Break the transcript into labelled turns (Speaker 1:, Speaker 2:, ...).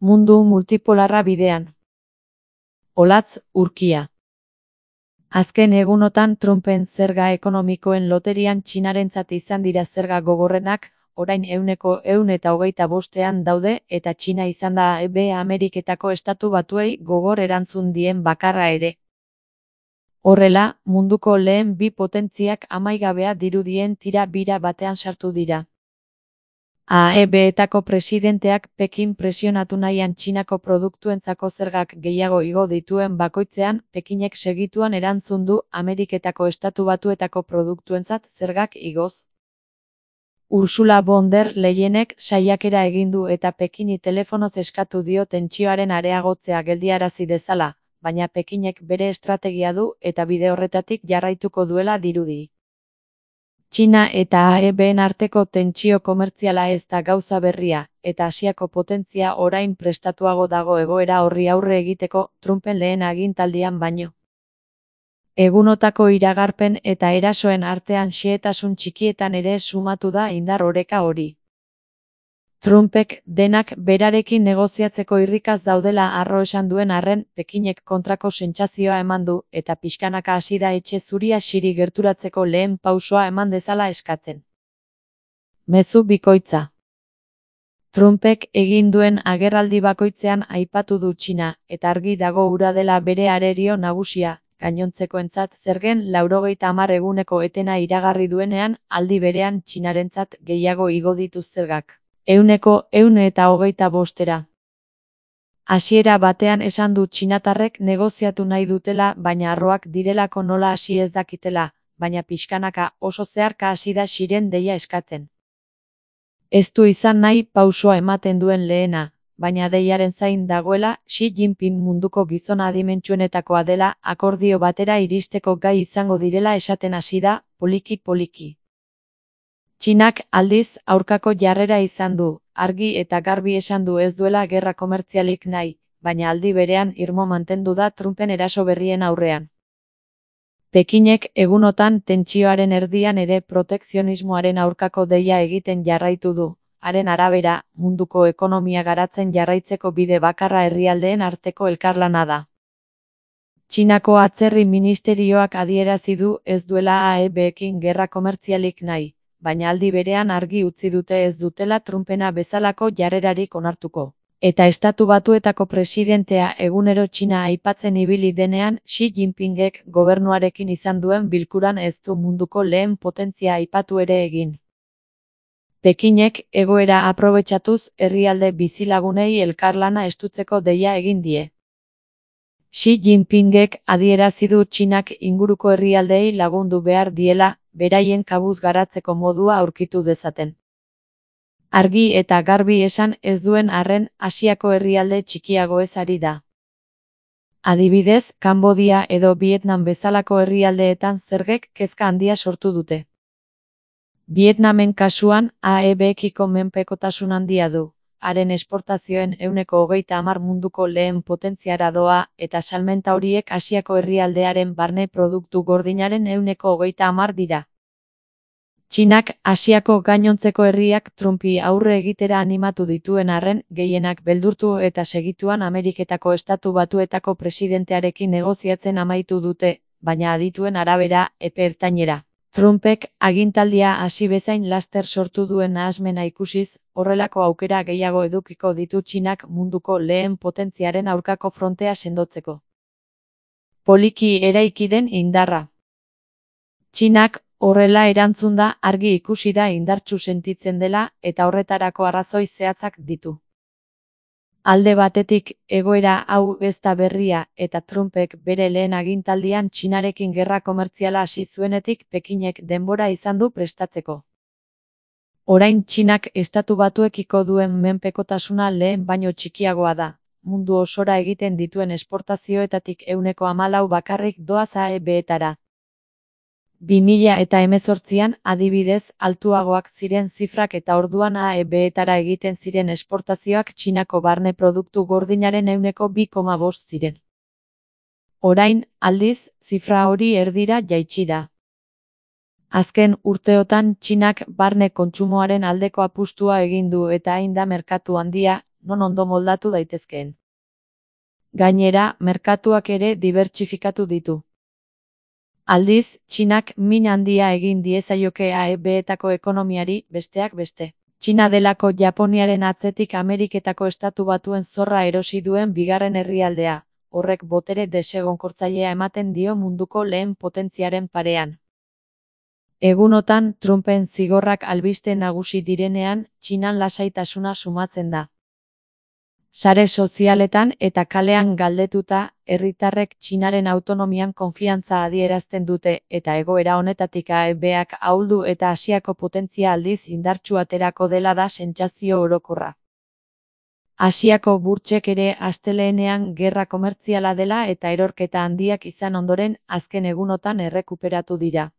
Speaker 1: Mundu multipolarra bidean. Olatz Urkia. Azken egunotan Trumpen zerga ekonomikoen loterian Txinarentzat izan dira zerga gogorrenak, orain 125ean daude eta Txina izan da Ameriketako Estatu Batuei gogor erantzun dien bakarra ere. Horrela, munduko lehen bi potentziak amaigabea dirudien tira bira batean sartu dira. AEB-etako presidenteak Pekin presionatu nahian Txinako produktuentzako zergak gehiago igo dituen bakoitzean, Pekinek segituan erantzun du Ameriketako Estatu Batuetako produktuentzat zergak igoz. Ursula von der Leyenek saiakera egin du eta Pekini telefonoz eskatu dio tentsioaren areagotzea geldiarazi dezala, baina Pekinek bere estrategia du eta bide horretatik jarraituko duela dirudi. Txina eta AEB-en arteko tentsio komertziala ez da gauza berria, eta Asiako potentzia orain prestatuago dago egoera horri aurre egiteko Trumpen lehen agintaldian baino. Egunotako iragarpen eta erasoen artean xehetasun txikietan ere sumatu da indar oreka hori. Trumpek denak berarekin negoziatzeko irrikaz daudela harro esan duen arren, Pekinek kontrako sentsazioa eman du eta pixkanaka hasi da etxe zuria xiri gerturatzeko lehen pausoa eman dezala eskatzen. Mezu bikoitza. Trumpek egin duen agerraldi bakoitzean aipatu du Txina, eta argi dago hura dela bere arerio nagusia, gainontzekoentzat zergen 90 eguneko etena iragarri duenean, aldi berean Txinarentzat gehiago igo ditu zergak. 125%. Hasiera batean esan du txinatarrek negoziatu nahi dutela baina harroak direlako nola hasi ez dakitela, baina pixkanaka oso zeharka hasi da xiren deia eskatzen. Ez du izan nahi pausoa ematen duen lehena, baina deiaren zain dagoela Xi Jinping munduko gizon adimentsuenetakoa dela akordio batera iristeko gai izango direla esaten hasi da, poliki-poliki. Txinak aldiz aurkako jarrera izan du, argi eta garbi esan du ez duela gerra komertzialik nahi, baina aldi berean irmo mantendu da Trumpen eraso berrien aurrean. Pekinek egunotan tentsioaren erdian ere protekzionismoaren aurkako deia egiten jarraitu du, haren arabera, munduko ekonomia garatzen jarraitzeko bide bakarra herrialdeen arteko elkarlana da. Txinako atzerri ministerioak adierazi du ez duela AEB-ekin gerra komertzialik nahi, baina aldi berean argi utzi dute ez dutela Trumpena bezalako jarrerarik onartuko. Eta Estatu Batuetako presidentea egunero Txina aipatzen ibili denean, Xi Jinpingek gobernuarekin izan duen bilkuran ez du munduko lehen potentzia aipatu ere egin. Pekinek egoera aprobetxatuz herrialde bizilagunei elkarlana estutzeko deia egin die. Xi Jinpingek adierazi du Txinak inguruko herrialdeei lagundu behar diela, beraien kabuz garatzeko modua aurkitu dezaten. Argi eta garbi esan ez duen arren Asiako herrialde txikiagoez ari da. Adibidez, Kanbodia edo Vietnam bezalako herrialdeetan zergek kezka handia sortu dute. Vietnamen kasuan, AEB-ekiko menpekotasun handia du. Haren esportazioen 30% munduko lehen potentziara doa, eta salmenta horiek Asiako herrialdearen barne produktu gordinaren 30% dira. Txinak Asiako gainontzeko herriak Trumpi aurre egitera animatu dituen arren, gehienak beldurtu eta segituan Ameriketako Estatu Batuetako presidentearekin negoziatzen amaitu dute, baina adituen arabera, epe ertainera. Trumpek agintaldia hasi bezain laster sortu duen nahasmena ikusiz, horrelako aukera gehiago edukiko ditu Txinak munduko lehen potentziaren aurkako frontea sendotzeko. Poliki eraiki den indarra. Txinak horrela erantzun da argi ikusi da indartsu sentitzen dela eta horretarako arrazoi zehatzak ditu. Alde batetik, egoera hau ez da berria eta Trumpek bere lehen agintaldian Txinarekin gerra komertziala hasi zuenetik Pekinek denbora izan du prestatzeko. Orain Txinak Estatu Batuekiko duen menpekotasuna lehen baino txikiagoa da, mundu osora egiten dituen esportazioetatik 14% bakarrik doaz AEB-etara. 2018an, adibidez, altuagoak ziren zifrak eta orduan AEB-etara egiten ziren esportazioak Txinako barne produktu gordinaren 2,5% ziren. Orain, aldiz, zifra hori erdira jaitsi da. Azken urteotan Txinak barne kontsumoaren aldeko apustua egin du eta hain da merkatu handia, non ondo moldatu daitezkeen. Gainera, merkatuak ere dibertsifikatu ditu. Aldiz, Txinak min handia egin diezaioke AEB-etako ekonomiari, besteak beste. Txina delako Japoniaren atzetik Ameriketako Estatu Batuen zorra erosi duen bigarren herrialdea, horrek botere desegonkortzailea ematen dio munduko lehen potentziaren parean. Egunotan, Trumpen zigorrak albiste nagusi direnean, Txinan lasaitasuna sumatzen da. Sare sozialetan eta kalean galdetuta, herritarrek Txinaren autonomian konfiantza adierazten dute eta egoera honetatik AEB-ak ahuldu eta Asiako potentzia aldiz indartsu aterako dela da sentsazio orokorra. Asiako burtsek ere astelehenean gerra komertziala dela eta erorketa handiak izan ondoren azken egunotan errekuperatu dira.